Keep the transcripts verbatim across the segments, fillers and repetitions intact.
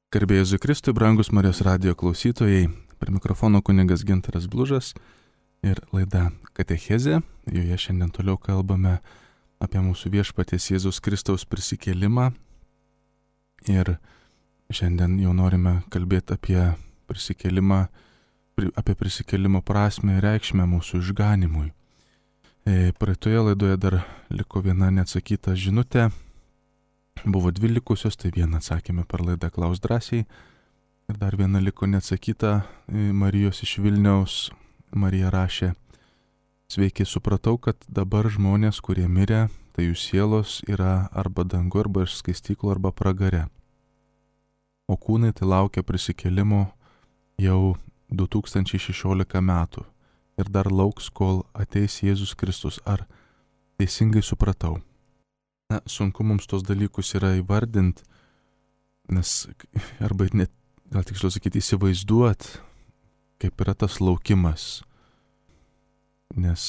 Garbė Jėzui Kristui, brangus Marijos radijo klausytojai, prie mikrofono kunigas Gintaras Blužas ir laida Katechezė. Joje šiandien toliau kalbame apie mūsų viešpaties Jėzaus Kristaus prisikėlimą. Ir šiandien jau norime kalbėti apie prisikėlimą, apie prisikėlimo prasmę ir reikšmę mūsų išganimui. Praeitoje laidoje dar liko viena neatsakyta žinutė. Buvo dvi likusios, tai vieną atsakėme per laidą Klaus drąsiai. Ir dar viena liko neatsakyta Marijos iš Vilniaus. Marija rašė: sveiki, supratau, kad dabar žmonės, kurie mirė, tai jų sielos yra arba dangu, arba iš skaistyklo, arba pragare. O kūnai tai laukia prisikėlimo jau du tūkstančiai šešiolika metų. Ir dar lauks, kol ateis Jėzus Kristus. Ar teisingai supratau? Na, sunku mums tos dalykus yra įvardinti, nes arba net, gal tiksliau sakyti, įsivaizduot, kaip yra tas laukimas. Nes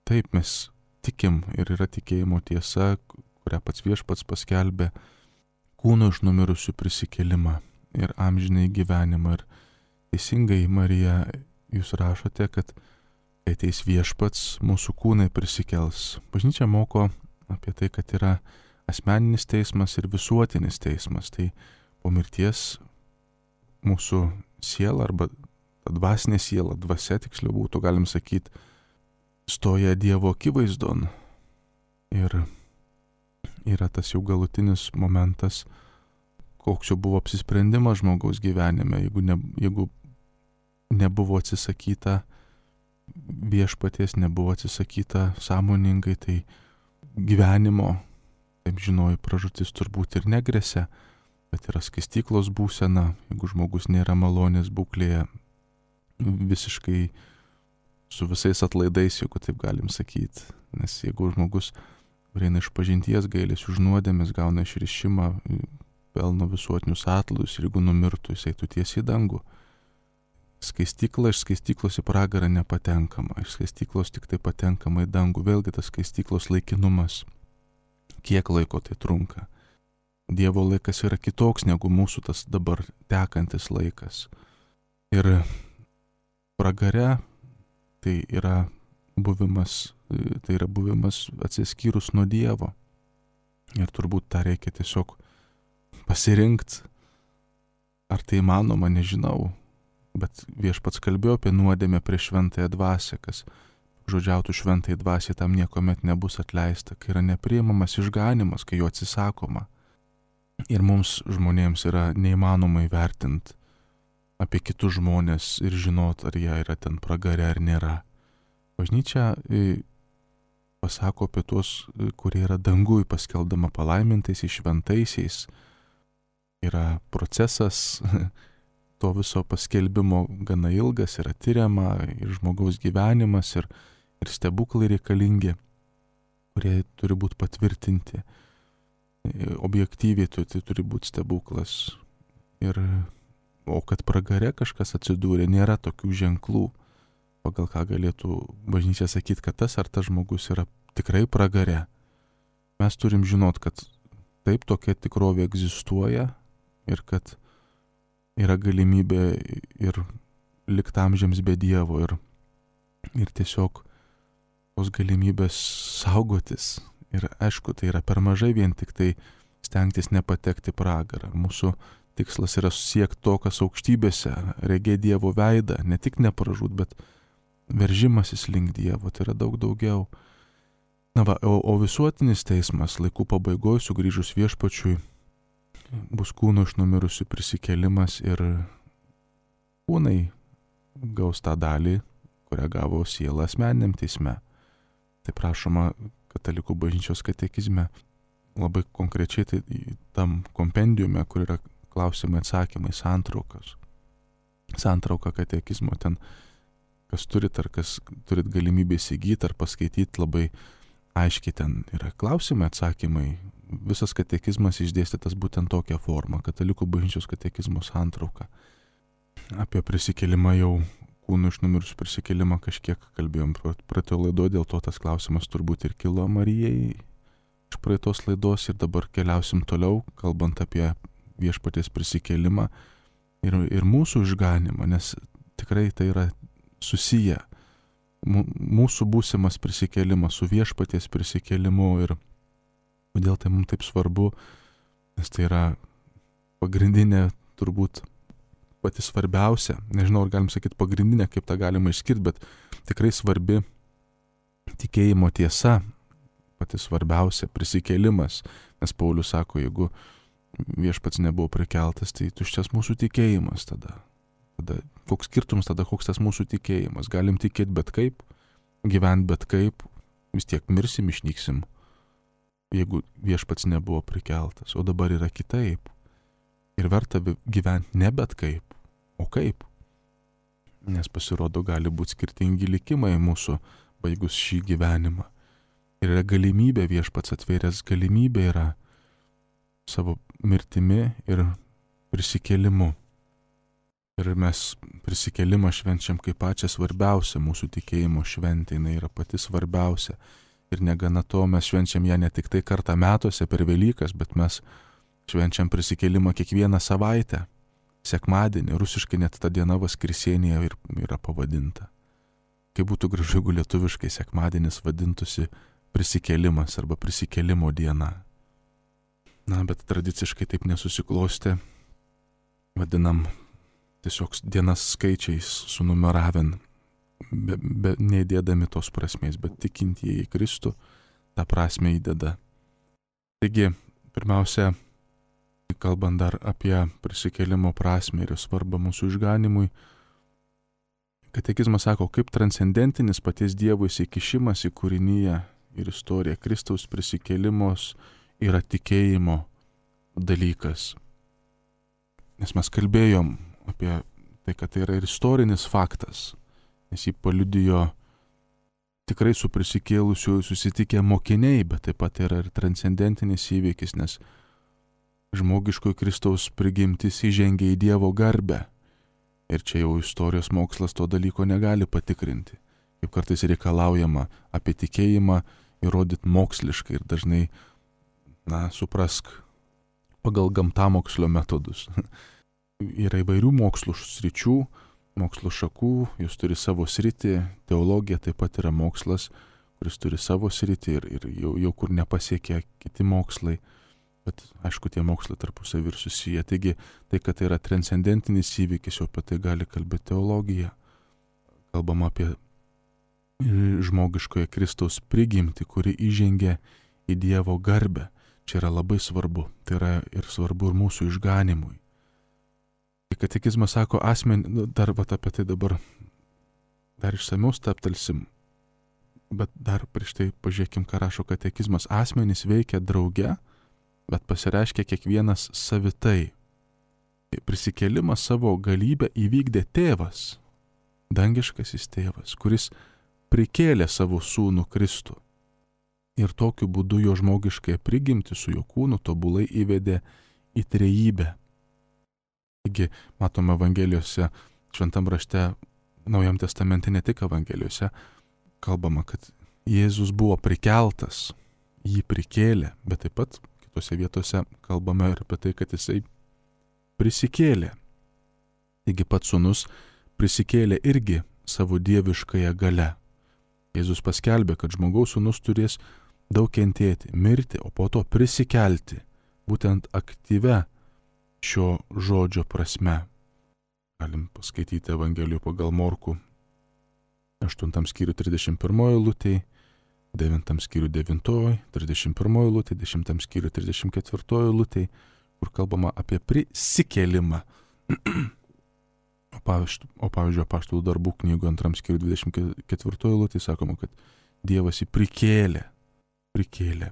taip mes tikim ir yra tikėjimo tiesa, kurią pats viešpats paskelbė, kūno iš numirusių prisikėlimą ir amžinai gyvenimą. Ir teisingai, Marija, jūs rašote, kad kai ateis viešpats, mūsų kūnai prisikels. Bažnyčia moko apie tai, kad yra asmeninis teismas ir visuotinis teismas. Tai po mirties mūsų siela, arba dvasinė siela, dvasia tiksliau būtų, galim sakyti, stoja Dievo akivaizdon. Ir yra tas jau galutinis momentas, koks jau buvo apsisprendimas žmogaus gyvenime. Jeigu, ne, jeigu nebuvo atsisakyta viešpaties, nebuvo atsisakyta sąmoningai, tai gyvenimo, kaip žinojai, pražūtis turbūt ir negresia, bet yra skaistyklos būsena, jeigu žmogus nėra malonės būklėje, visiškai su visais atlaidais, jeigu taip galim sakyti. Nes jeigu žmogus eina iš pažinties, gailės už nuodėmes, gauna išrišimą, pelno visuotinius atlaidus, ir jeigu numirtų, jis eitų tiesiai į dangų. Skaistykla, iš skaistyklos į pragarą nepatenkama, iš skaistyklos tik tai patenkama į dangų. Vėlgi tas skaistyklos laikinumas. Kiek laiko tai trunka? Dievo laikas yra kitoks negu mūsų tas dabar tekantis laikas. Ir pragare tai yra buvimas, tai yra buvimas atsiskyrus nuo Dievo. Ir turbūt tą reikia tiesiog pasirinkti. Ar tai įmanoma, nežinau. Bet viešpats kalbėjo apie nuodėmę prieš šventąją dvasią, kas žodžiautų šventai dvasiai, tam niekuomet nebus atleista, kai yra nepriimamas išganimas, kai jo atsisakoma. Ir mums žmonėms yra neįmanoma įvertinti apie kitus žmonės ir žinot, ar jie yra ten pragare ar nėra. Bažnyčia pasako apie tuos, kurie yra dangui, paskeldama palaimintaisiais, šventaisiais. Yra procesas to viso paskelbimo gana ilgas, yra tyriama ir žmogaus gyvenimas, ir, ir stebuklai reikalingi, kurie turi būti patvirtinti. Objektyviai tai, tai turi būti stebuklas. Ir, o kad pragare kažkas atsidūrė, nėra tokių ženklų, pagal ką galėtų bažnyčia sakyti, kad tas ar tas žmogus yra tikrai pragare. Mes turim žinot, kad taip tokia tikrovė egzistuoja ir kad yra galimybė ir likti amžiams be Dievo ir, ir tiesiog tos galimybės saugotis. Ir aišku, tai yra per mažai vien tik tai stengtis nepatekti pragarą. Mūsų tikslas yra siekti to, kas aukštybėse, regėti Dievo veidą, ne tik nepražūt, bet veržimasis link Dievo, tai yra daug daugiau. Na va, o, o visuotinis teismas laikų pabaigoje sugrįžus viešpačiui bus kūno iš numirusių prisikėlimas ir kūnai gaus tą dalį, kurią gavo siela asmeniniam teisme. Tai prašoma katalikų bažnyčios katekizme, labai konkrečiai tai tam kompendiume, kur yra klausimai atsakymai, santraukas. Santrauka katekizmo ten, kas turit ar kas turit galimybę įsigyti ar paskaityti, labai aiškiai ten yra klausimai, atsakymai. Visas katekizmas išdėstytas būtent tokia forma, katalikų bažnyčios katekizmo santrauka. Apie prisikėlimą jau, kūnų iš numirusių prisikėlimą kažkiek kalbėjom praeitoje laidoje, dėl to tas klausimas turbūt ir kilo Marijai iš praeitos laidos ir dabar keliausim toliau, kalbant apie viešpaties prisikėlimą ir, ir mūsų išganimą, nes tikrai tai yra susiję. Mūsų būsimas prisikėlimas su viešpaties prisikėlimu ir kodėl tai mums taip svarbu, nes tai yra pagrindinė, turbūt pati svarbiausia, nežinau, ar galim sakyti pagrindinė, kaip tą galima išskirti, bet tikrai svarbi tikėjimo tiesa, pati svarbiausia prisikėlimas, nes Paulius sako, jeigu viešpats nebuvo prikeltas, tai tuščias mūsų tikėjimas tada. Tada koks skirtumas tada, koks tas mūsų tikėjimas? Galim tikėti bet kaip, gyventi bet kaip, vis tiek mirsim, išnyksim, jeigu viešpats nebuvo prikeltas, o dabar yra kitaip. Ir verta gyventi ne bet kaip, o kaip. Nes pasirodo, gali būti skirtingi likimai mūsų baigus šį gyvenimą. Ir yra galimybė, viešpats atvėręs galimybė yra savo mirtimi ir prisikėlimu. Ir mes prisikėlimą švenčiam kaip pačią svarbiausią mūsų tikėjimo šventę, jinai yra pati svarbiausia. Ir negana to, mes švenčiam ją ne tik tai kartą metuose per Velykas, bet mes švenčiam prisikėlimą kiekvieną savaitę. Sekmadienį, rusiškai net ta diena Vaskriesienėje ir yra pavadinta. Kaip būtų gražu, jeigu lietuviškai sekmadienis vadintųsi prisikėlimas arba prisikėlimo diena. Na, bet tradiciškai taip nesusiklostė. Vadinam tiesiog dienas skaičiais sunumeravin, be, be, neįdėdami tos prasmės, bet tikintieji į Kristų tą prasmę įdeda. Taigi, pirmiausia, kalbant dar apie prisikėlimo prasmę ir svarbą mūsų išganimui, katekizmas sako, kaip transcendentinis paties Dievo įsikišimas į kūriniją ir istoriją. Kristaus prisikėlimos yra tikėjimo dalykas. Nes mes kalbėjom apie tai, kad tai yra ir istorinis faktas, nes jį paliudijo tikrai su prisikėlusiu susitikę mokiniai, bet taip pat yra ir transcendentinis įvykis, nes žmogiškojo Kristaus prigimtis įžengia į Dievo garbę. Ir čia jau istorijos mokslas to dalyko negali patikrinti. Kaip kartais reikalaujama apie tikėjimą įrodyti moksliškai ir dažnai, na, suprask, pagal gamtamokslio metodus. Yra įvairių mokslų sričių, mokslo šakų, jūs turi savo sritį, teologija taip pat yra mokslas, kuris turi savo sritį ir, ir jau, jau kur nepasiekia kiti mokslai. Bet aišku, tie mokslai tarpusavy ir susiję. Taigi, tai, kad tai yra transcendentinis įvykis, jau apie tai gali kalbėti teologija. Kalbama apie žmogiškoje Kristaus prigimtį, kuri įžengia į Dievo garbę. Čia yra labai svarbu. Tai yra ir svarbu ir mūsų išganimui. Katekizmas sako, asmenį, dar vat apie tai dabar dar išsamiau staptelsim, bet dar prieš tai pažiūrėkim, ką rašo katekizmas. Asmenys veikia drauge, bet pasireiškia kiekvienas savitai. Prisikėlimą savo galybę įvykdė tėvas, dangiškasis tėvas, kuris prikėlė savo sūnų Kristų. Ir tokiu būdu jo žmogiškąją prigimtį su jo kūnu tobulai įvedė į trejybę. Taigi, matome Evangelijose, Šventam rašte, Naujam testamente, ne tik Evangelijose, kalbama, kad Jėzus buvo prikeltas, jį prikėlė, bet taip pat kitose vietose kalbame ir apie tai, kad jisai prisikėlė. Taigi pats sūnus prisikėlė irgi savo dieviškąją gale. Jėzus paskelbė, kad žmogaus sūnus turės daug kentėti, mirti, o po to prisikelti, būtent aktyvia šio žodžio prasme. Galim paskaityti Evangelijų pagal Morkų aštuntam skyriui trisdešimt pirmoj eilutėj, devintam skyriui devintoj, trisdešimt pirmoj eilutėj, dešimtam skyriui trisdešimt ketvirtoj eilutėj, kur kalbama apie prisikėlimą. O pavyzdžiui, o pavyzdžiui Apaštalų darbų knygų antram skyriui dvidešimt ketvirtoj eilutėj sakoma, kad Dievas jį prikėlė, prikėlė.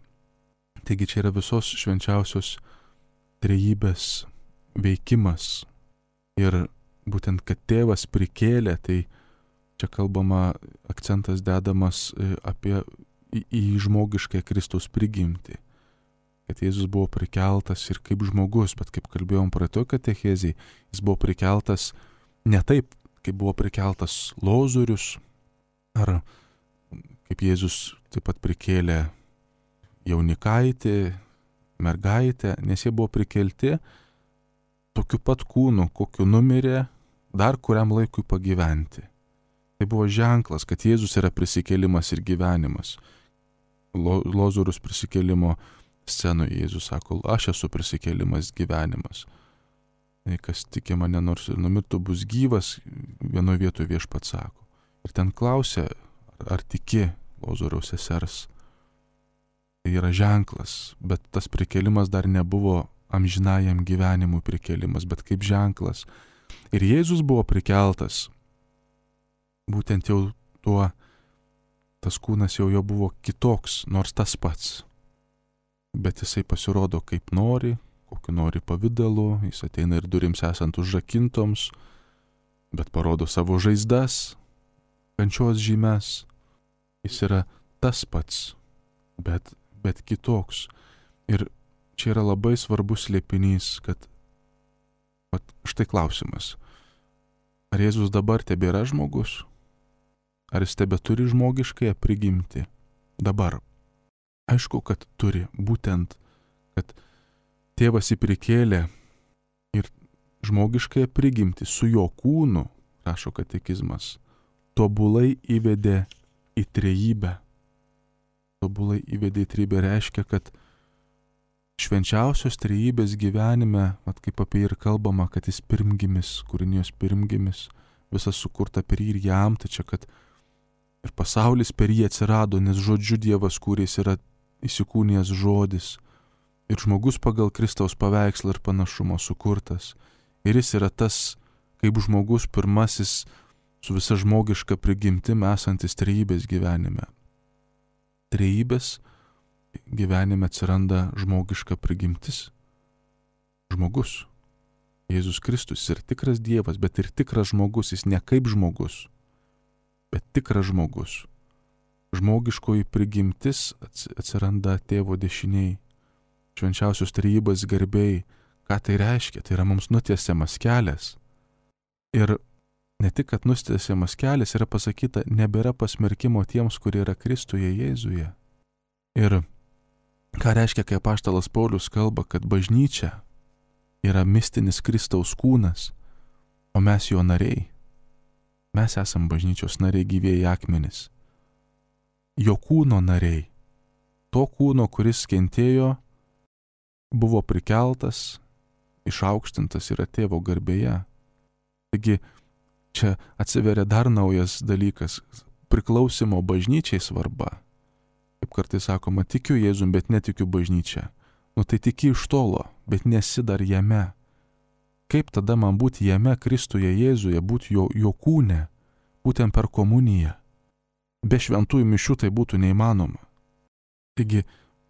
Taigi čia yra visos švenčiausios trejybės veikimas. Ir būtent, kad tėvas prikėlė, tai čia kalbama, akcentas dedamas apie į, į žmogišką Kristaus prigimtį. Kad Jėzus buvo prikeltas ir kaip žmogus, bet kaip kalbėjom praeitoj katechezėj, jis buvo prikeltas ne taip, kaip buvo prikeltas Lozorius, ar kaip Jėzus taip pat prikėlė jaunikaitį, mergaitę, nes jie buvo prikelti tokiu pat kūnu, kokiu numirė, dar kuriam laikui pagyventi. Tai buvo ženklas, kad Jėzus yra prisikėlimas ir gyvenimas. Lo, Lozorius prisikėlimo scenoje Jėzus sako, aš esu prisikėlimas, gyvenimas. Kas tiki mane, nors ir numirtų, bus gyvas, vienoje vietoje viešpats sako. Ir ten klausia, ar tiki Lozoriaus sesers. Tai yra ženklas, bet tas prikėlimas dar nebuvo amžinajam gyvenimui prikėlimas, bet kaip ženklas. Ir Jėzus buvo prikeltas, būtent jau tuo, tas kūnas jau jo buvo kitoks, nors tas pats. Bet jisai pasirodo kaip nori, kokiu nori pavidalu, jis ateina ir durims esant užrakintoms, bet parodo savo žaizdas, kančios žymes. Jis yra tas pats, bet, bet kitoks. Ir čia yra labai svarbus slėpinys, kad vat, štai klausimas. Ar Jėzus dabar tebėra žmogus? Ar jis tebe turi žmogiškąją prigimtį? Dabar. Aišku, kad turi, būtent, kad tėvas jį prikėlė ir žmogiškąją prigimtį su jo kūnu, rašo katekizmas, tobulai įvedė į trejybę. Tobulai įvedė į trejybę reiškia, kad švenčiausios trejybės gyvenime, vat kaip apie jį ir kalbama, kad jis pirmgimis, kūrinijos pirmgimis, visas sukurta per jį ir jam, tai čia, kad ir pasaulis per jį atsirado, nes žodžiu Dievas kūrė, jis yra įsikūnijęs žodis. Ir žmogus pagal Kristaus paveikslą ir panašumo sukurtas. Ir jis yra tas, kaip žmogus pirmasis su visa žmogiška prigimtim esantis trejybės gyvenime. Trejybės gyvenime atsiranda žmogiška prigimtis. Žmogus. Jėzus Kristus ir tikras Dievas, bet ir tikras žmogus, jis ne kaip žmogus, bet tikras žmogus. Žmogiškoji prigimtis atsiranda tėvo dešiniai. Švenčiausios trejybės garbėjai. Ką tai reiškia? Tai yra mums nutiesiamas kelias. Ir ne tik, kad nutiesiamas kelias, yra pasakyta, nebėra pasmerkimo tiems, kurie yra Kristuje Jėzuje. Ir ką reiškia, kai apaštalas Paulius kalba, kad bažnyčia yra mistinis Kristaus kūnas, o mes jo nariai. Mes esam bažnyčios nariai, gyvieji akmenys. Jo kūno nariai. To kūno, kuris kentėjo, buvo prikeltas, išaukštintas yra tėvo garbėje. Taigi čia atsiveria dar naujas dalykas - priklausimo bažnyčiai svarba. Kaip kartais sakoma, tikiu Jėzum, bet netikiu bažnyčia. Nu tai tiki iš tolo, bet nesi dar jame. Kaip tada man būti jame, Kristuje Jėzuje, būti jo, jo kūne, būtent per komuniją? Be šventųjų mišių tai būtų neįmanoma. Taigi,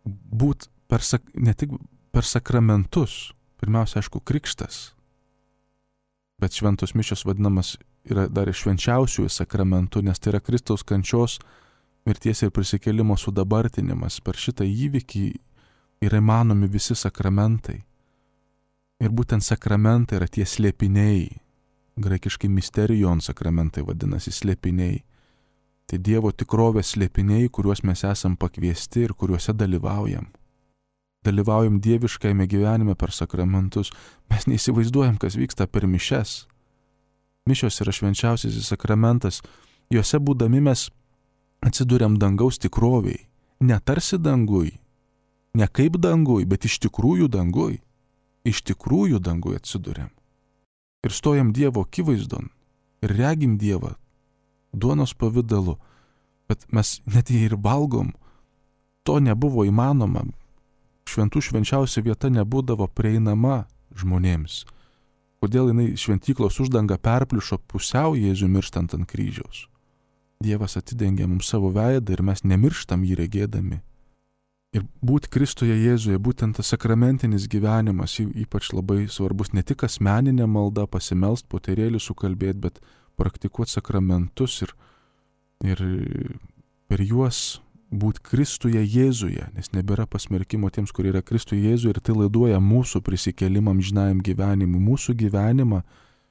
būt per, ne tik per sakramentus, pirmiausia, aišku, krikštas, bet šventos mišios vadinamas yra dar švenčiausiųjų sakramentų, nes tai yra Kristaus kančios, mirties ir prisikėlimo sudabartinimas. Per šitą įvykį yra įmanomi visi sakramentai. Ir būtent sakramentai yra tie slėpiniai, graikiškai misterijon sakramentai vadinasi slėpiniai. Tai Dievo tikrovės slėpiniai, kuriuos mes esam pakviesti ir kuriuose dalyvaujam. Dalyvaujam dieviškajame gyvenime per sakramentus. Mes neįsivaizduojam, kas vyksta per mišias. Mišios yra švenčiausiasis sakramentas. Juose būdami mes atsiduriam dangaus tikroviai. Ne tarsi dangui, ne kaip dangui, bet iš tikrųjų dangui. Iš tikrųjų dangui atsiduriam. Ir stojam Dievo akivaizdon. Ir regim Dievą duonos pavidalu. Bet mes net jei ir valgom, to nebuvo įmanoma. Šventų švenčiausia vieta nebūdavo prieinama žmonėms. Kodėl jinai šventyklos uždanga perpliušo pusiau Jėzų mirstant ant kryžiaus? Dievas atidengė mums savo veidą ir mes nemirštam jį regėdami. Ir būti Kristuje Jėzuje, būtent tas sakramentinis gyvenimas, ypač labai svarbus, ne tik asmeninė malda, pasimelst, poterėlį sukalbėti, bet praktikuoti sakramentus ir, ir per juos būti Kristuje Jėzuje, nes nebėra pasmerkimo tiems, kurie yra Kristuje Jėzuje, ir tai laiduoja mūsų prisikėlimą amžinajam gyvenimui, mūsų gyvenimą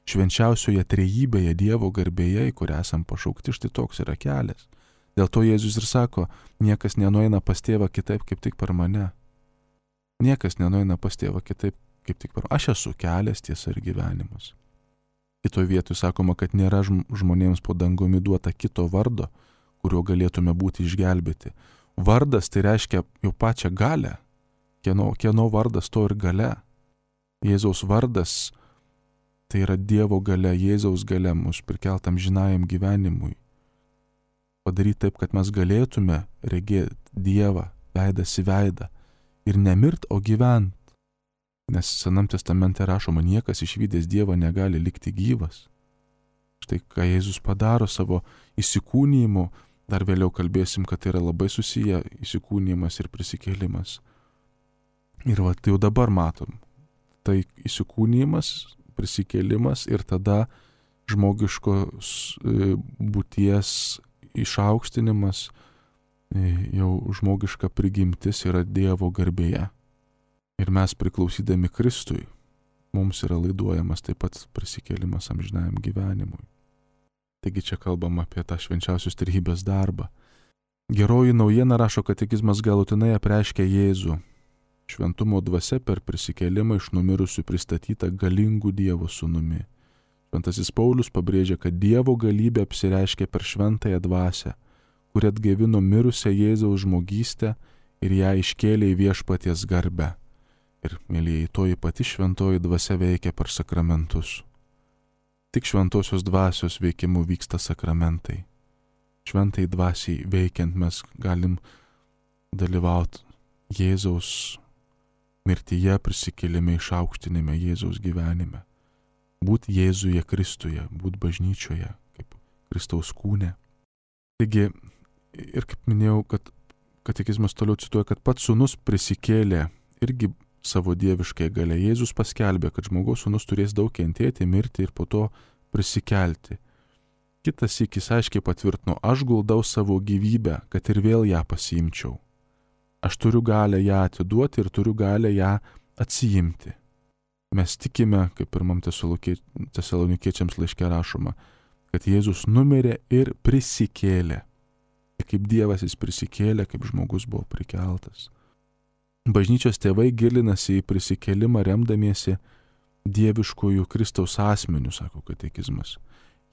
švenčiausioje trejybėje, Dievo garbėje, į kurią esam pašaukti, štai toks yra kelias. Dėl to Jėzus ir sako, niekas nenueina pas tėvą kitaip, kaip tik per mane. Niekas nenueina pas tėvą kitaip, kaip tik per aš esu kelias, tiesa ir gyvenimas. Kitoje vietoje sakoma, kad nėra žmonėms po dangumi duota kito vardo, kuriuo galėtume būti išgelbėti. Vardas tai reiškia jau pačią galę. Kieno, kieno vardas to ir galia. Jėzaus vardas tai yra Dievo galia, Jėzaus galia mus prikeltam žinajam gyvenimui. Padaryti taip, kad mes galėtume regėti Dievą veidas į veidą ir nemirt, o gyvent. Nes Senam testamente rašoma, niekas išvydęs Dievą negali likti gyvas. Štai ką Jėzus padaro savo įsikūnijimu, dar vėliau kalbėsim, kad tai yra labai susiję įsikūnijimas ir prisikėlimas. Ir va, tai jau dabar matom. Tai įsikūnijimas, prisikėlimas ir tada žmogiškos būties išaukštinimas, jau žmogiška prigimtis yra Dievo garbėje. Ir mes priklausydami Kristui, mums yra laiduojamas taip pat prisikėlimas amžinajam gyvenimui. Taigi čia kalbam apie tą švenčiausios trejybės darbą. Geroji naujiena, rašo katekizmas, galutinai apreiškia Jėzų. Šventumo dvasia per prisikėlimą iš numirusių pristatyta galingų Dievo sūnumi. Šventasis Paulius pabrėžia, kad Dievo galybė apsireiškia per šventąją dvasią, kuri atgaivino mirusią Jėzaus žmogystę ir ją iškėlė į viešpaties garbę. Ir, mėlyjei, toji pati šventoji dvasia veikia per sakramentus. Tik šventosios dvasios veikimu vyksta sakramentai. Šventai dvasiai veikiant mes galim dalyvauti Jėzaus mirtyje, prisikėlime, išaukštinime, Jėzaus gyvenime. Būt Jėzuje Kristuje, būt bažnyčioje, kaip Kristaus kūne. Taigi, ir kaip minėjau, kad katekizmas toliau cituoja, kad pats sūnus prisikėlė irgi savo dieviškai galia. Jėzus paskelbė, kad žmogaus sūnus turės daug kentėti, mirti ir po to prisikelti. Kitas sykis aiškiai patvirtino, aš guldau savo gyvybę, kad ir vėl ją pasiimčiau. Aš turiu galę ją atiduoti ir turiu galę ją atsiimti. Mes tikime, kaip pirmam Tesalonikiečiams laiške rašoma, kad Jėzus numirė ir prisikėlė. Ir kaip Dievas jis prisikėlė, kaip žmogus buvo prikeltas. Bažnyčios tėvai gilinasi į prisikėlimą remdamiesi dieviškojų Kristaus asmeniu, sako katekizmas.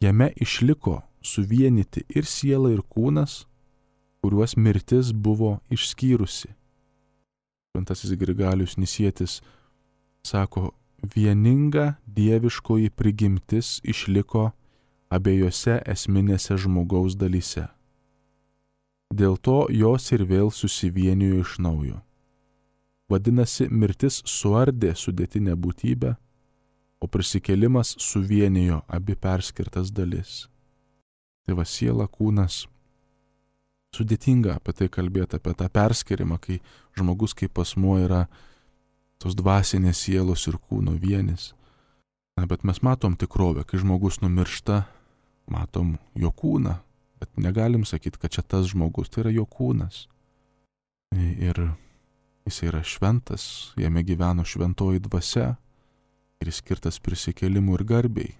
Jame išliko suvienyti ir siela, ir kūnas, kuriuos mirtis buvo išskyrusi. Šventasis Grigalius Nisietis sako, vieninga dieviškoji prigimtis išliko abiejose esminėse žmogaus dalyse. Dėl to jos ir vėl susivienijo iš naujo. Vadinasi, mirtis suardė sudėtinę būtybę, o prisikėlimas suvienijo abi perskirtas dalis. Tai va, siela, kūnas. Sudėtinga apie tai kalbėti, apie tą perskirimą, kai žmogus kaip asmuo yra tos dvasinės sielos ir kūno vienis. Na, bet mes matom tikrovę, kai žmogus numiršta, matom jo kūną, bet negalim sakyti, kad čia tas žmogus, tai yra jo kūnas. Ir jis yra šventas, jame gyveno šventoji dvasia ir jis skirtas prisikėlimui ir garbei.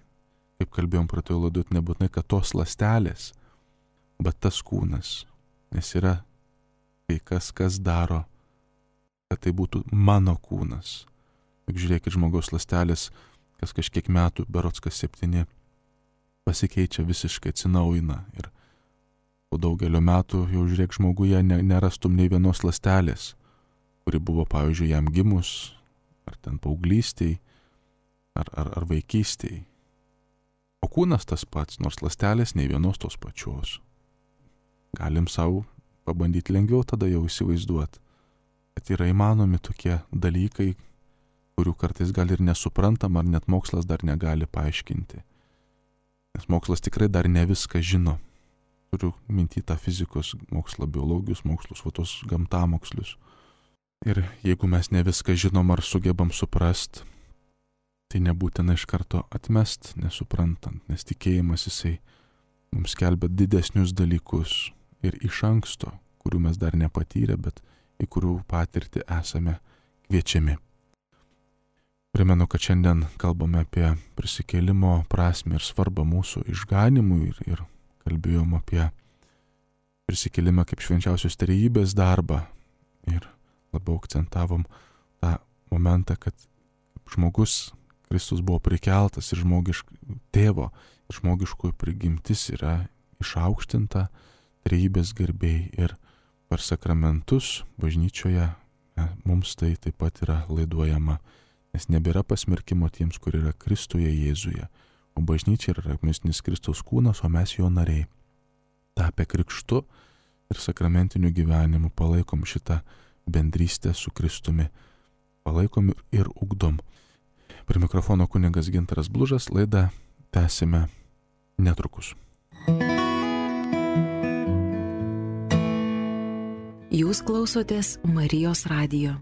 Kaip kalbėjom pradėjo laidot, nebūtinai, kad tos ląstelės, bet tas kūnas. Nes yra kai kas, kas daro, kad tai būtų mano kūnas. Juk žiūrėkit, žmogaus ląstelės, kas kažkiek metų, berods kas septyni, pasikeičia visiškai, atsinaujina. Ir po daugelio metų jau žiūrėk, žmoguje nerastum nei vienos ląstelės, kuri buvo, pavyzdžiui, jam gimus, ar ten paauglystėj, ar, ar, ar vaikystėj. O kūnas tas pats, nors ląstelės nei vienos tos pačios. Galim savo pabandyti lengviau tada jau įsivaizduoti, kad yra įmanomi tokie dalykai, kurių kartais gal ir nesuprantam, ar net mokslas dar negali paaiškinti. Nes mokslas tikrai dar ne viską žino. Turiu minty tą fizikos mokslą, biologijos mokslus, va tos gamtamokslius. Ir jeigu mes ne viską žinom ar sugebam suprast, tai nebūtina iš karto atmest, nesuprantant, nes tikėjimas jisai mums skelbia didesnius dalykus ir iš anksto, kurių mes dar nepatyrę, bet į kurių patirtį esame kviečiami. Primenu, kad šiandien kalbame apie prisikėlimo prasmę ir svarbą mūsų išganimui ir, ir kalbėjom apie prisikėlimą kaip švenčiausios trejybės darbą ir labiau akcentavom tą momentą, kad žmogus, Kristus buvo prikeltas ir žmogišk, tėvo ir žmogiškųjų prigimtis yra išaukštinta trejybės garbėjai ir per sakramentus bažnyčioje ne, mums tai taip pat yra laiduojama, nes nebėra pasmerkimo tiems, kur yra Kristuje Jėzuje, o bažnyčia yra mistinis Kristaus kūnas, o mes jo nariai. Tapę krikštu ir sakramentiniu gyvenimu palaikom šitą bendrystę su Kristumi, palaikom ir ugdom. Prie mikrofono kunigas Gintaras Blužas, laidą tęsime netrukus. Jūs klausotės Marijos radijo.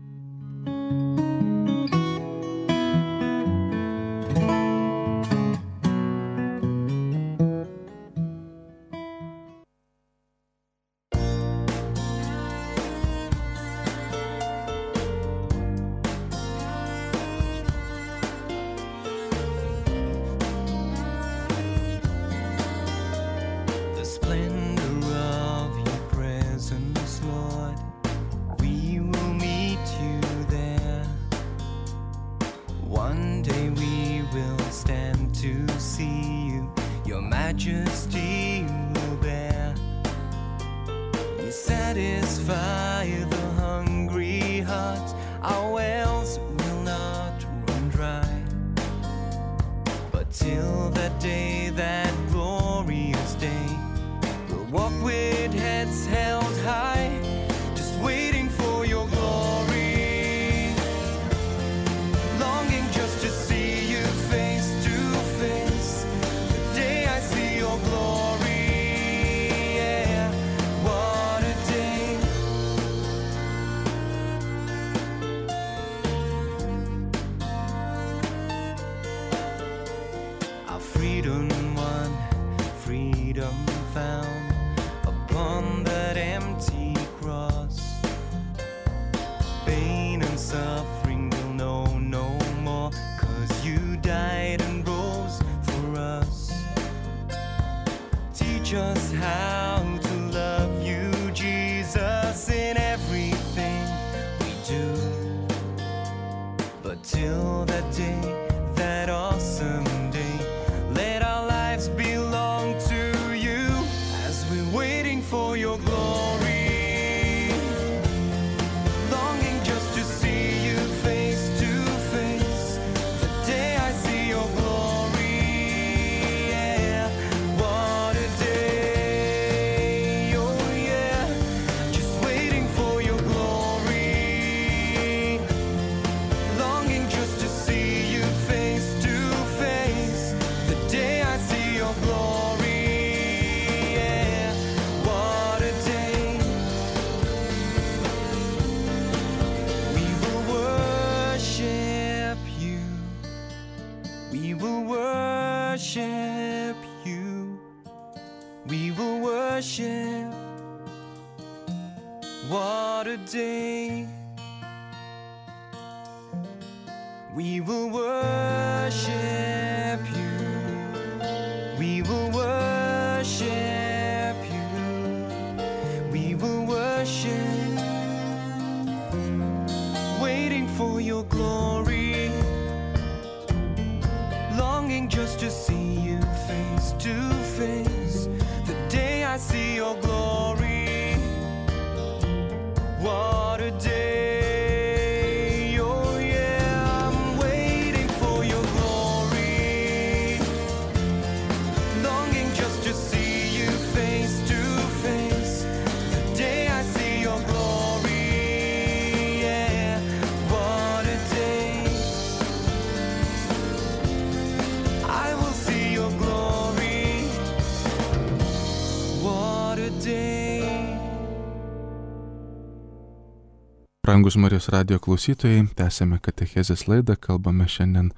Brangus Marijos radijo klausytojai, tęsėme katechezės laidą, kalbame šiandien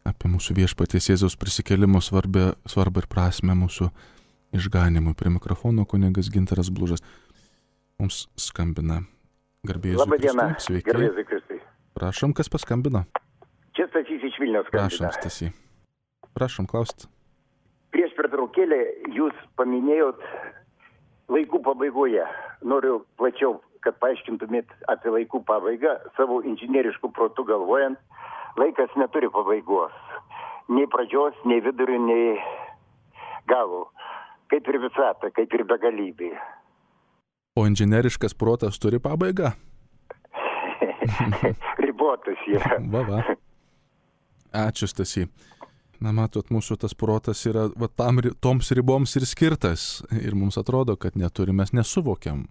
apie mūsų viešpaties Jėzaus prisikėlimo svarbę, svarbą ir prasmę mūsų išganimui. Prie mikrofono kunigas Gintaras Blužas. Mums skambina garbėjus Kristus. Labą dieną, sveiki. garbėjus Kristus. Prašom, kas paskambino? Čia Stasys iš Vilniaus skambina. Prašom, Stasy. Prašom, klausti. Prieš pertraukėlę jūs paminėjot laikų pabaigoje. Noriu plačiau, kad paaiškintumėt apie laikų pabaigą, savo inžinieriškų protų galvojant. laikas neturi pabaigos. Nei pradžios, nei vidurio, nei galo. Kaip ir visata, kaip ir begalybė. O inžineriškas protas turi pabaigą? Ribotas yra. Va, va. Ačiū, Stasy. Na, matot, mūsų tas protas yra va, tam, toms riboms ir skirtas. Ir mums atrodo, kad neturim, mes nesuvokiam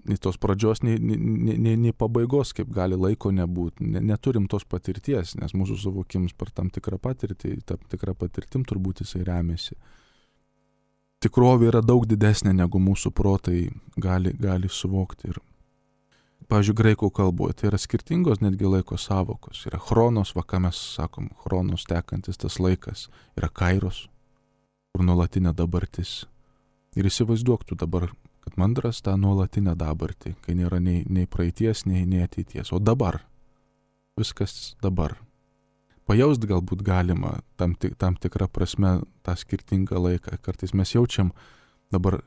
nei tos pradžios, nei, nei, nei, nei pabaigos, kaip gali laiko nebūti. Ne, neturim tos patirties, nes mūsų suvokims per tam tikrą patirtį, tam tikrą patirtim turbūt jisai remiasi. Tikrovė yra daug didesnė, negu mūsų protai gali, gali suvokti. Ir, pavyzdžiui, graikų kalboje tai yra skirtingos netgi laiko savokos. Yra chronos, va ką mes sakom, chronos tekantis tas laikas. Yra kairos, kur nuolatinė dabartis. Ir įsivaizduok tu dabar, kad mandras tą nuolatinę dabartį, kai nėra nei, nei praeities, nei, nei ateities. O dabar. Viskas dabar. Pajaust galbūt galima tam, tik, tam tikrą prasme tą skirtingą laiką. Kartais mes jaučiam, dabar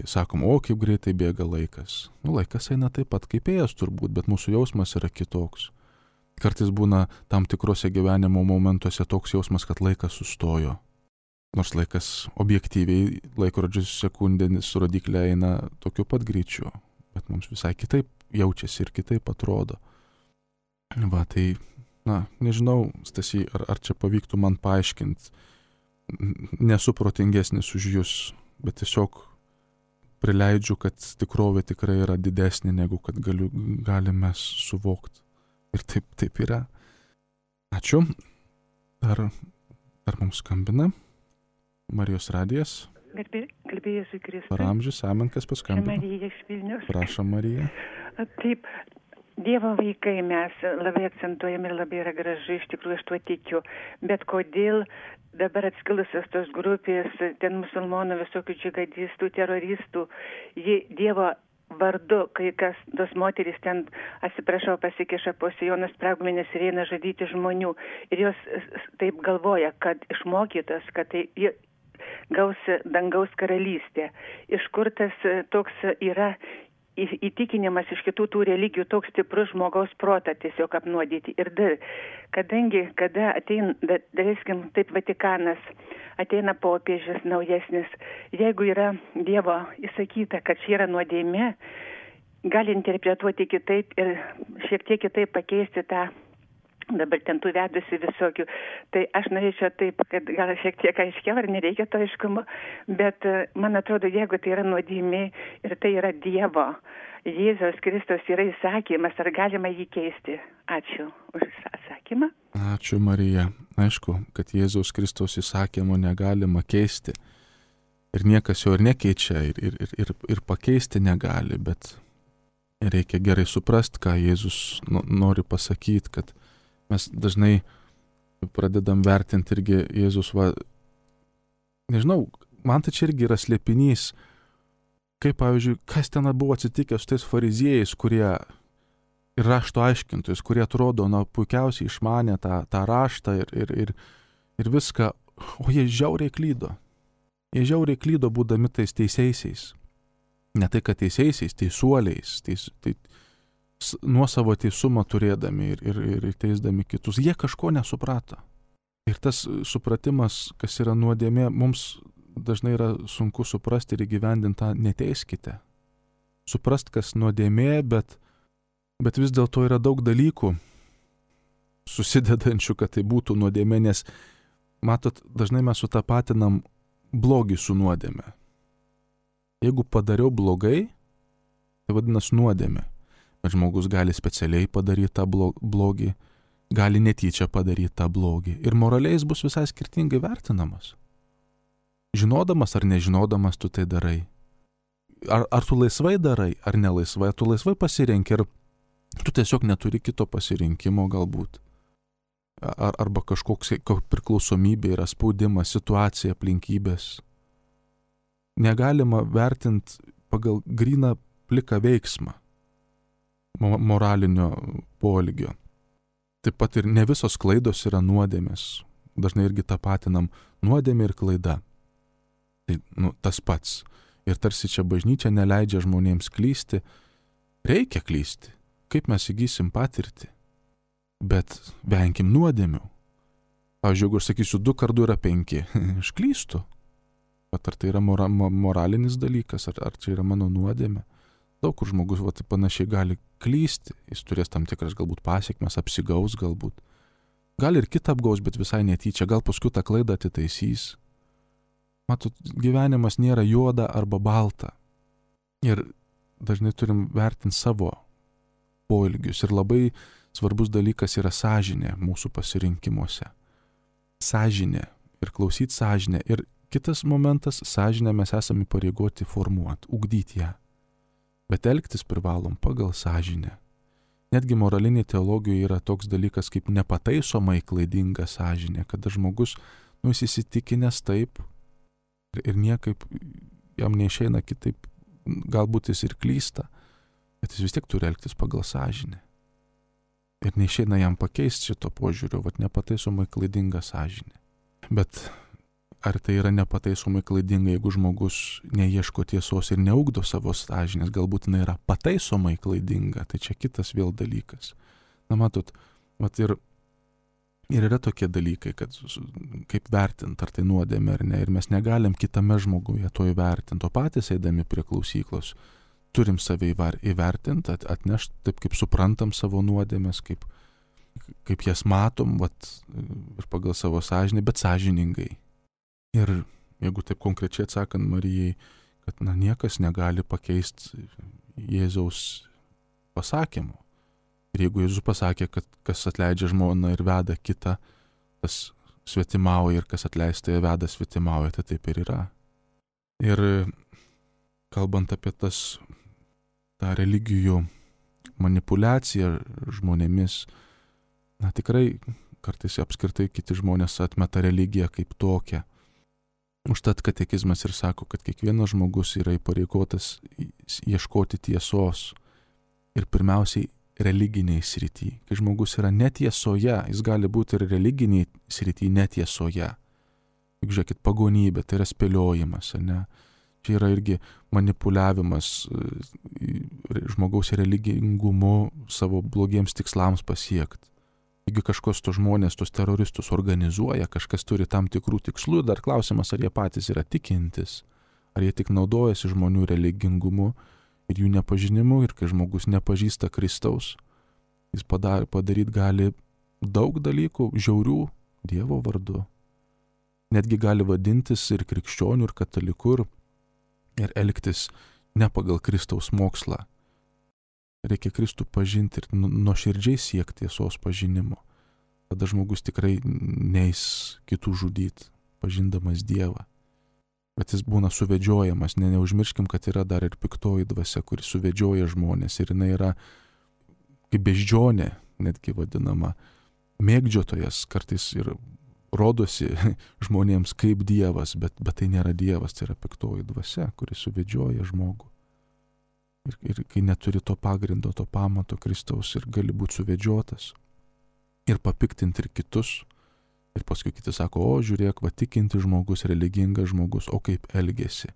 sakom, o kaip greitai bėga laikas. Nu, laikas eina taip pat kaip ėjas turbūt, bet mūsų jausmas yra kitoks. Kartais būna tam tikrose gyvenimo momentuose toks jausmas, kad laikas sustojo. Nors laikas objektyviai, laikrodžius sekundėnis rodiklė eina tokiu pat greičiu, bet mums visai kitaip jaučiasi ir kitaip atrodo. Va, tai, na, nežinau, Stasy, ar, ar čia pavyktų man paaiškinti. Nesu protingesnis už jūs, bet tiesiog prileidžiu, kad tikrovė tikrai yra didesnė, negu kad galiu, galime suvokti. Ir taip, taip yra. Ačiū. Ar, ar mums skambina? Marijos radijas. Garbė Jėzui Kristui. Per amžius, amen, kas paskambino. Marija iš Vilniaus. Prašom, Marija. Taip, Dievo vaikai mes labai akcentuojam ir labai yra gražu, iš tikrųjų aš tuo tikiu. Bet kodėl dabar atskilusios tos grupės, ten musulmonų visokių džigadistų, teroristų, jie Dievo vardu, kai kas, tos moterys ten, atsiprašau, pasikeša po sijoną spragmenis ir eina žudyti žmonių. Ir jos taip galvoja, kad išmokytos, kad tai gaus dangaus karalystę. Iš kur tas toks yra įtikinimas iš kitų tų religijų, toks stiprus žmogaus protą tiesiog apnuodyti. Ir dar, kadangi, kada ateina, daleiskim, taip Vatikanas, ateina popiežius naujesnis, jeigu yra Dievo įsakyta, kad čia yra nuodėmė, gali interpretuoti kitaip ir šiek tiek kitaip pakeisti tą dabar ten tų vedusi visokių. Tai aš norėčiau taip, kad gal šiek tiek aiškiau, ar nereikia to aiškumo, bet man atrodo, jeigu tai yra nuodėmė ir tai yra Dievo, Jėzaus Kristus yra įsakymas, ar galima jį keisti? Ačiū už atsakymą. Ačiū, Marija. Aišku, kad Jėzaus Kristaus įsakymo negalima keisti. Ir niekas jo ir nekeičia, ir, ir, ir, ir pakeisti negali, bet reikia gerai suprasti, ką Jėzus nori pasakyti, kad mes dažnai pradedam vertinti irgi Jėzus, va, nežinau, man tai čia irgi yra slėpinys, kaip, pavyzdžiui, kas ten buvo atsitikę su tais fariziejais, kurie ir rašto aiškintojais, kurie atrodo, na, puikiausiai išmanė tą, tą raštą ir, ir, ir, ir viską, o jie žiauriai klydo. Jie žiauriai klydo būdami tais teisėjaisiais. Ne tai, kad teisėjaisiais, teisuoliais, teis, tai, nuo savo teisumą turėdami ir, ir, ir teisdami kitus, jie kažko nesuprato. Ir tas supratimas, kas yra nuodėmė, mums dažnai yra sunku suprasti ir įgyvendinti tą neteiskite. Suprast, kas nuodėmė, bet, bet vis dėlto yra daug dalykų susidedančių, kad tai būtų nuodėmė, nes, matot, dažnai mes sutapatinam blogį su nuodėmė. Jeigu padariau blogai, tai vadinasi nuodėmė. Bet žmogus gali specialiai padaryti tą blogį, gali netyčia padaryti tą blogį. Ir moraliai jis bus visai skirtingai vertinamas. Žinodamas ar nežinodamas tu tai darai. Ar, ar tu laisvai darai, ar nelaisvai. Ar tu laisvai pasirenki, ar tu tiesiog neturi kito pasirinkimo galbūt. Ar, arba kažkoks priklausomybė yra spaudimas, situacija, aplinkybės. Negalima vertinti pagal gryną pliką veiksmą moralinio poelgio. Taip pat ir ne visos klaidos yra nuodėmės. Dažnai irgi tapatinam nuodėmė ir klaida. Tai nu, tas pats. Ir tarsi čia bažnyčia neleidžia žmonėms klysti. Reikia klysti. Kaip mes įgysim patirtį? bet venkim nuodėmių. Pavyzdžiui, jeigu aš sakysiu, du kart du yra penki, aš klystu. Bet ar tai yra mora, moralinis dalykas, ar, ar čia yra mano nuodėmė? Daug kur žmogus va, panašiai gali klysti, jis turės tam tikras galbūt pasiekmes, apsigaus galbūt. Gal ir kitą apgaus, bet visai netyčia, gal paskui tą klaidą atitaisys. Matot, gyvenimas nėra juoda arba balta. Ir dažnai turim vertinti savo poelgius. Ir labai svarbus dalykas yra sąžinė mūsų pasirinkimuose. Sąžinė ir klausyti sąžinę. Ir kitas momentas, sąžinę mes esame įpareigoti formuoti, ugdyti ją. Bet elgtis privalom pagal sąžinę. Netgi moralinė teologija yra toks dalykas kaip nepataisomai klaidinga sąžinė, kada žmogus, nu, jis įsitikinęs taip ir, ir niekaip jam neišeina kitaip, galbūt jis ir klysta, bet jis vis tiek turi elgtis pagal sąžinę. Ir neišeina jam pakeisti šito požiūrio, vat nepataisomai klaidinga sąžinė. Bet ar tai yra nepataisomai klaidinga, jeigu žmogus neieško tiesos ir neugdo savo sąžinės, galbūt jinai yra pataisomai klaidinga, tai čia kitas vėl dalykas. Na matot, vat ir, ir yra tokie dalykai, kad kaip vertinti, ar tai nuodėmė ar ne, ir mes negalim kitame žmoguje to įvertinti, o patys eidami prie klausyklos turim save įvertinti, atnešti taip, kaip suprantam savo nuodėmės, kaip, kaip jas matom, vat, ir pagal savo sąžinę, bet sąžiningai. Ir jeigu taip konkrečiai atsakant Marijai, kad na, niekas negali pakeisti Jėzaus pasakymų. Ir jeigu Jėzus pasakė, kad kas atleidžia žmoną ir veda kitą, tas svetimauja, ir kas atleista ir veda svetimauja, tai taip ir yra. Ir kalbant apie tas, tą religijų manipuliaciją žmonėmis, na tikrai kartais apskritai kiti žmonės atmeta religiją kaip tokią. Užtat katekizmas ir sako, kad kiekvienas žmogus yra įpareigotas ieškoti tiesos ir pirmiausiai religiniai srity. Kai žmogus yra netiesoje, jis gali būti ir religiniai srity netiesoje. Juk žiūrėkit, pagonybė, tai yra spėliojimas, ne? Čia yra irgi manipuliavimas žmogaus religingumu savo blogiems tikslams pasiekti. Jeigu kažkos to žmonės, tos teroristus organizuoja, kažkas turi tam tikrų tikslų, dar klausimas, ar jie patys yra tikintis, ar jie tik naudojasi žmonių religingumu ir jų nepažinimu, ir kai žmogus nepažįsta Kristaus, jis padaryti gali daug dalykų žiaurių Dievo vardu. Netgi gali vadintis ir krikščionių, ir katalikų, ir elgtis ne pagal Kristaus mokslą. Reikia Kristų pažinti ir nuoširdžiai siekti tiesos pažinimo. Tada žmogus tikrai neis kitų žudyti, pažindamas Dievą. Bet jis būna suvedžiojamas. Ne, neužmirškim, kad yra dar ir piktoji dvasia, kuri suvedžioja žmonės. Ir jinai yra kaip beždžionė, netgi vadinama, mėgdžiotojas, kartais ir rodosi žmonėms kaip Dievas, bet, bet tai nėra Dievas, tai yra piktoji dvasia, kuri suvedžioja žmogų. Ir, ir kai neturi to pagrindo, to pamato Kristaus ir gali būti suvedžiotas ir papiktinti ir kitus. Ir paskui kiti sako, o žiūrėk, va tikinti žmogus, religingas žmogus, o kaip elgesi.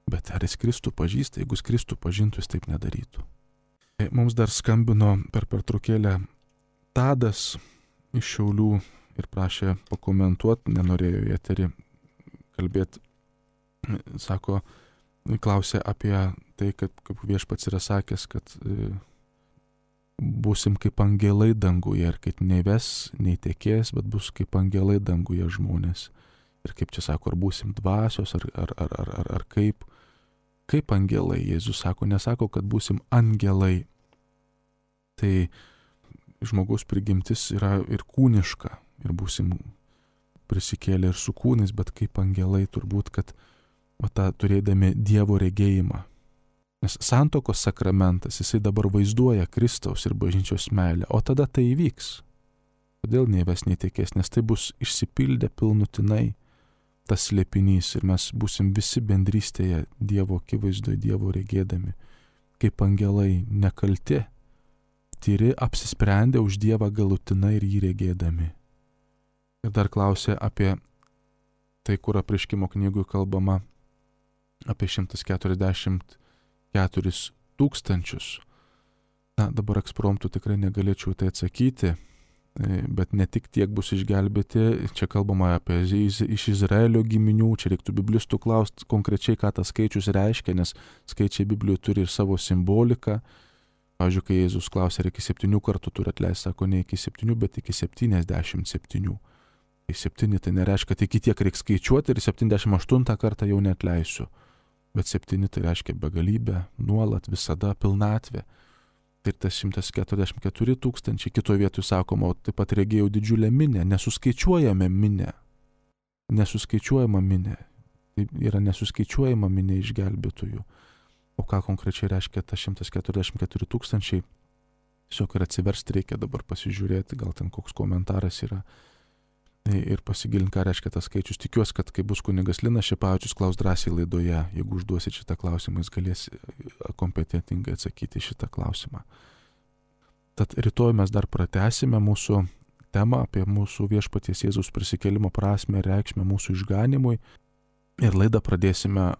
Bet ar jis Kristų pažįsta? Jeigu jis Kristų pažintų, jis taip nedarytų. Mums dar skambino per pertraukėlę Tadas iš Šiaulių ir prašė pakomentuoti, nenorėjo į eterį kalbėti. Sako, klausė apie tai, kad kaip viešpats yra sakęs, kad e, būsim kaip angelai danguje ir kad nei ves, nei tekės, bet bus kaip angelai danguje žmonės. Ir kaip čia sako, ar būsim dvasios, ar, ar, ar, ar, ar, ar kaip, kaip angelai. Jėzus sako, nesako, kad būsim angelai. Tai žmogaus prigimtis yra ir kūniška, ir būsim prisikėlę ir su kūnais, bet kaip angelai turbūt, kad o tą turėdami Dievo regėjimą. Nes santuokos sakramentas, jisai dabar vaizduoja Kristaus ir bažnyčios meilę, o tada tai įvyks. Kodėl nei ves, nei tekės, nes tai bus išsipildę pilnutinai tas slėpinys ir mes būsim visi bendrystėje Dievo akivaizdoje, Dievo regėdami, kaip angelai nekalti, tyri, apsisprendę už Dievą galutinai ir jį regėdami. Ir dar klausė apie tai, kur apreiškimo knygui kalbama apie šimtas keturiasdešimt keturis tūkstančius. Na, dabar ekspromtų tikrai negalėčiau tai atsakyti, bet ne tik tiek bus išgelbėti, čia kalbama apie iš Izraelio giminių, čia reiktų biblistų klausti konkrečiai, ką tas skaičius reiškia, nes skaičiai Biblijoje turi ir savo simboliką. Pavyzdžiui, kai Jėzus klausė, ar iki septynių kartų turi atleisti, sako ne iki septynių, bet iki septyniasdešimt septynių. Tai septyni tai nereiškia, kad iki tiek reikia skaičiuoti ir septyniasdešimt aštuntą kartą jau neatleisiu. Bet septyni tai reiškia begalybę, nuolat, visada, pilnatvė. Ir tas šimtas keturiasdešimt keturi tūkstančiai, kitoje vietoje sakoma, taip pat regėjau didžiulę minę, nesuskaičiuojame minę. Nesuskaičiuojama minė. Tai yra nesuskaičiuojama minė išgelbėtojų. O ką konkrečiai reiškia tas šimtas keturiasdešimt keturi tūkstančiai? Tiesiog ir atsiversti reikia dabar pasižiūrėti, gal ten koks komentaras yra ir pasigilinti, ką reiškia tas skaičius. Tikiuosi, kad kai bus kunigas Linas Šepavičius klaus drąsiai laidoje, jeigu užduosit šitą klausimą, jis galės kompetentingai atsakyti šitą klausimą. Tad rytoj mes dar pratęsime mūsų temą apie mūsų viešpaties Jėzaus prisikėlimo prasmę ir reikšmę mūsų išganimui. Ir laidą pradėsime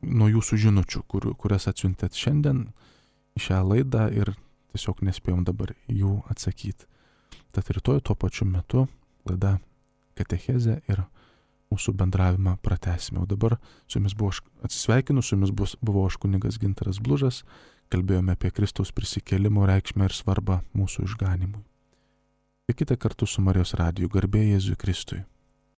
nuo jūsų žinučių, kur, kurias atsiuntėt šiandien į šią laidą ir tiesiog nespėjom dabar jų atsakyti. Tad rytoj tuo pačiu metu laida Katechezė ir mūsų bendravimą pratęsime. O dabar su jumis buvo, atsisveikinu, su jumis bus, buvo aš kunigas Gintaras Blužas, kalbėjome apie Kristaus prisikėlimo reikšmę ir svarbą mūsų išganimui. Likite kartu su Marijos radiju, garbė Jėzui Kristui.